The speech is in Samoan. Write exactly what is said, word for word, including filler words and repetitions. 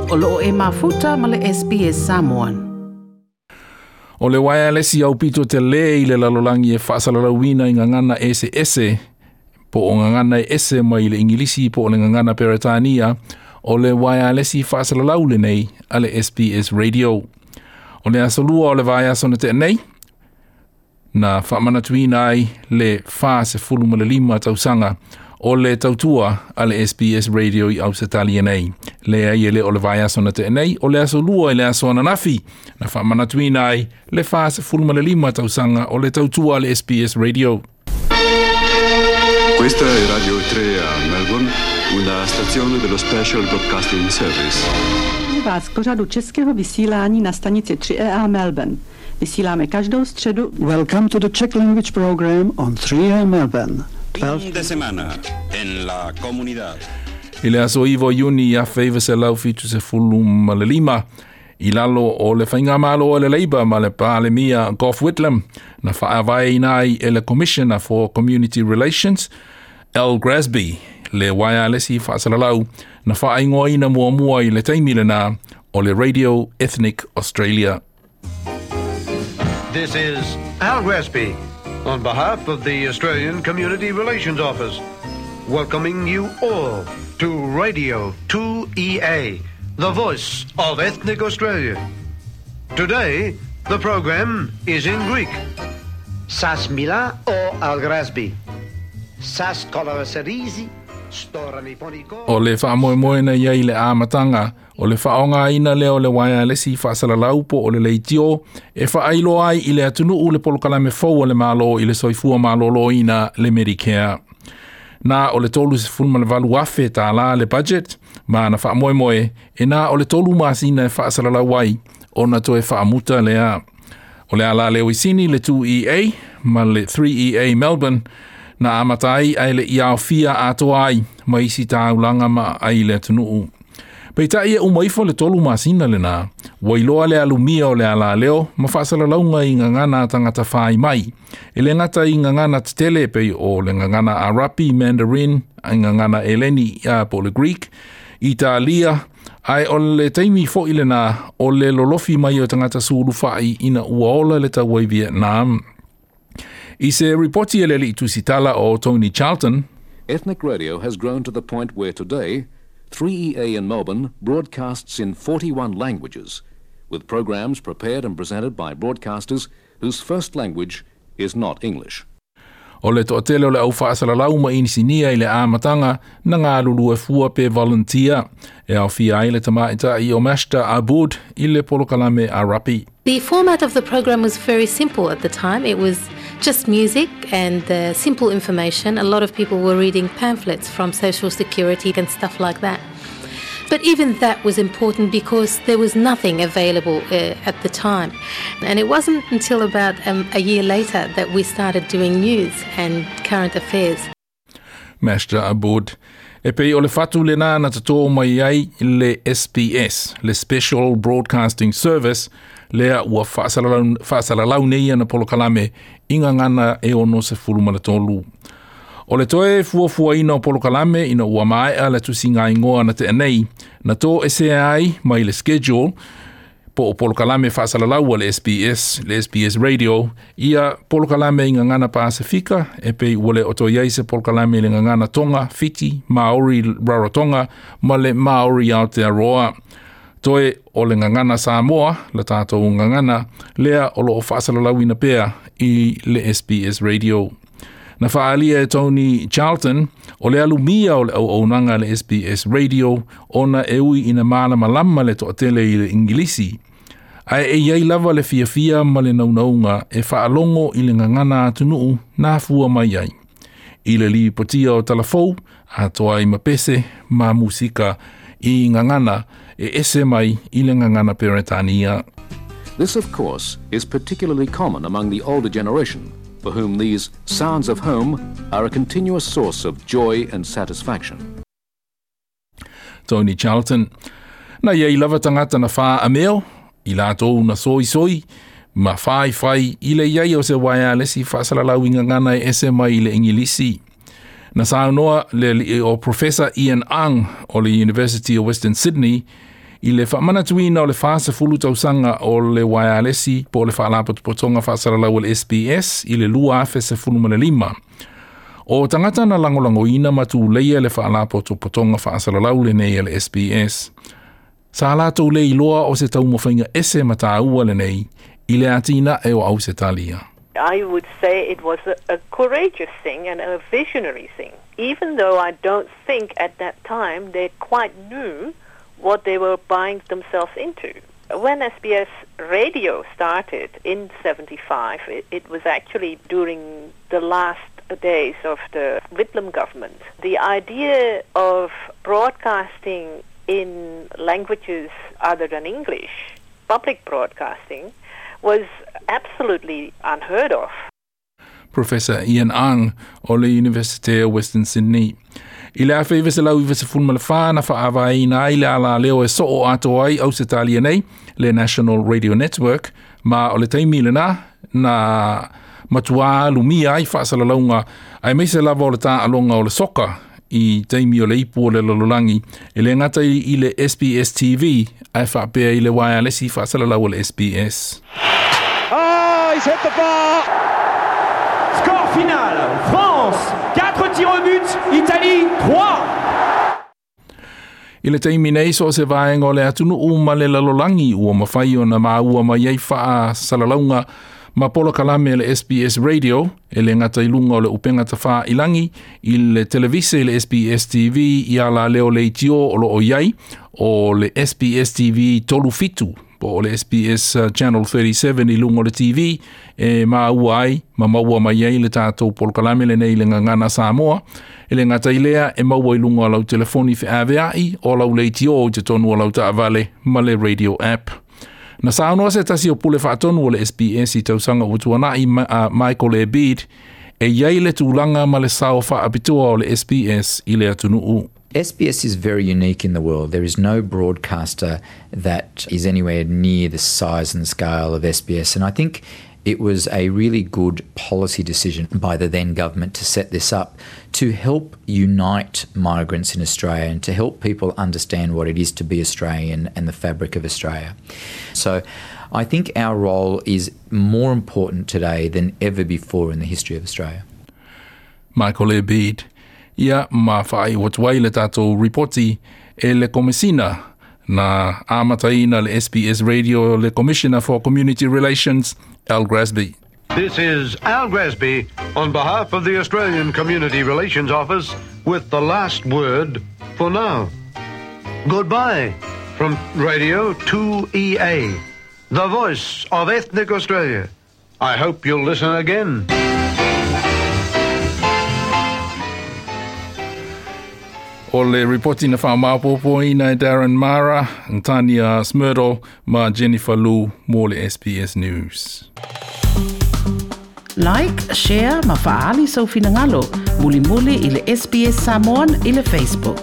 O loo e mafuta ma le S B S Samoan. O le wireless au pito te le i le lalolangi e faasalalauina i ngangana ese ese, po o ngangana e ese mai le Ingilisi po o le ngangana Peretania, o le wireless faasalalau lenei a le S B S Radio. O le asolua o le vaiaso na tenei, na faamanatuina ai le wha ma le lima tausaga o le tautua a le S B S Radio i Ausetalia nei. Le ai e le o le vaiaso na tenei, o le asolua i le aso ananafi, na faamanatuina ai le wha ma le lima tausaga o le tautua a le S B S Radio. Questa è Radio tre a Melbourne, una stazione dello Special Broadcasting Service. Vás k pořadu českého vysílání na stanici tři E A Melbourne. Vysíláme každou středu. Welcome to the Czech language program on three A Melbourne. Fin de semana en la comunidad. I le aso ivo Iuni a feiva se lau fitu se fulu ma le lima. I lalo o le whaingamalo o le Labour ma le Palemia Gough Whitlam na whaavai inai e le Commissioner for Community Relations Al Grassby le wireless faasalalau na whaingoaina muamua i le taimi lena o le Radio Ethnic Australia. This is Al Grassby on behalf of the Australian Community Relations Office, welcoming you all to Radio two E A, the voice of Ethnic Australia. Today, the program is in Greek. Sas mila o Al Grassby. Sas koloraserizi. O le whaamoemoena ia i le āmatanga, o le whaonga ina leo le wireless faasalalau po o le leitio, e whaailoa ai i le atunuu le polokalame fou o le malo i le soifua malōlōina le Medicare. Nā o le tolu se fulu ma le valu afe tā le budget, ma na whaamoemoe, e nā o le tolu masina e faasalalau ai, o na toe whaamuta lea. O le ala leo isini le two E A ma le three E A Melbourne, na amatai ai le iaofia atoa ai, ma isi tāulanga ma ai le atunuu. Peitai e umaifo le tolu masina lena, wailoa le alumia o le ala leo, ma faasalalauga i ngangana tangata whai mai. E le ngata i ngangana tetele pei o le ngangana Arapi, Mandarin, ai ngangana Eleni a po le Greek, Italia, ai o le taimi fo i lena o le lolofi mai o tangata suluwhai ina uaola le tauai Vietnam. I se ripoti e le liitusitala o Tony Charlton. Ethnic radio has grown to the point where today, three E A in Melbourne broadcasts in forty-one languages, with programs prepared and presented by broadcasters whose first language is not English. O le toatele o le au faasalalau ma inisinia i le āmatanga na ngā lulu e fua pe volunteer. E au fia ai le tamaita i o Master Abud i le polokalame Arapi. The format of the program was very simple at the time. It was just music and uh, simple information. A lot of people were reading pamphlets from Social Security and stuff like that. But even that was important because there was nothing available uh, at the time. And it wasn't until about um, a year later that we started doing news and current affairs. Master Abud. E pei o le fatu le nā na tatō mai ai le S B S, le Special Broadcasting Service, lea ua faasalalau, faasalalau nei ana polokalame i ngangana e ono se fulu ma le tolu. O le toe fuafuaina o polokalame ina ua maea le tusinga ingoa na te anei, na tō ese ai mai le schedule po o polokalame faasalalau a le S B S, le S B S Radio, ia polokalame i ngangana Pasifika, e pei ua le o toi ai se polokalame i le ngangana Tonga, Fiti, Maori Rarotonga, ma le Maori Aotearoa. Toe o le ngangana Samoa, le tātou ngangana, lea o loo faasalalauina pea i le S B S Radio. Na whaalia e Tony Charlton, o le alumia o le au aunanga le S B S Radio, ona e ui ina mālamalama le toatele i le Ingilisi. Ae e iai lava le fiafia ma le naunaunga e whaalongo i le ngangana atunuu nā fua mai ai. I le lipotia o talafou, atoa i mapese ma musika i ngangana e ese mai i le ngangana Peretania. This, of course, is particularly common among the older generation, for whom these sounds of home are a continuous source of joy and satisfaction. Tony Charlton. Na iai lava tangata na wha ameo, i lātou na soi soi, ma whai whai i le iai o se wireless i faasalalau i ngangana e ese mai i le Ingilisi. Na saunoa le o Professor Ian Ang o le University of Western Sydney I le faamanatuina o le fasefulu tausaga o le uaealesi po o le faalapotopotoga faasalalau o le S B S i le lua afe sefulu ma le lima. O tagata na lagolagoina ma tuleia le faalapotopotoga faasalalau lenei a le S B S. Sa latou le iloa o se taumafaiga ese ma tāua lenei i le atinae o Ausetalia. I would say it was a, a courageous thing and a visionary thing, even though I don't think at that time they quite knew what they were buying themselves into. When S B S Radio started in seventy-five, it, it was actually during the last days of the Whitlam government. The idea of broadcasting in languages other than English, public broadcasting, was absolutely unheard of. Professor Ian Ang o le University of Western Sydney. I le afe iwa selau iwa sefulu ma le whā na whaavaina ai le ala leo e soo ato ai Ausetalia nei, le National Radio Network, ma o le taimi le na, na matua lumia ai whaasalalauga ai meise lava o le tāalonga o le soka i taimi o le ipu o le lalolagi e le ngata i le S B S T V ai whaapea i le wireless i whaasalalau o le S B S. Ah, he's hit the bar! Score final, France, quatre tirs au but, Italie, trois. I le taimi nei so se vaenga o le atunuu ma le lalolagi ua mawhai o na maua mai ai whaasalalauga ma polokalame le S B S Radio e le ngata i lunga o le upenga tawha ilangi i le televise le S B S T V i ala leo le itio o lo o iai o le S B S T V tolu fitu po o le S B S Channel thirty-seven i lunga o le T V e maua ai ma maua mai ai le tātou polokalame le nei le ngangana Samoa e le ngata i lea e maua i lunga o lau telefoni wheaweai o lau le itio o te tonu o lau taavale ma le radio app. Na saunoa se tasi o pule whaatonu o le S B S i tausaga ua tuanai ma, uh, Michael Ebeid e iai le tūlanga ma le sao whaapitoa o le S B S i le atunuu. S B S is very unique in the world. There is no broadcaster that is anywhere near the size and scale of S B S. And I think it was a really good policy decision by the then government to set this up to help unite migrants in Australia and to help people understand what it is to be Australian and the fabric of Australia. So I think our role is more important today than ever before in the history of Australia. Michael Ebeid. Ia ma whaai watuai le tātou ripoti e le komisina na amataina le S B S Radio le Commissioner for Community Relations, Al Grassby. This is Al Grassby on behalf of the Australian Community Relations Office with the last word for now. Goodbye from Radio two E A, the voice of ethnic Australia. I hope you'll listen again. O le ripoti na whaamapopo ina e Darren Mara, Tania Smyrdo, ma Jennifer Lu mō le S B S News. Like, share, ma faali sau finangalo, muli muli i le S B S Samoan i le Facebook.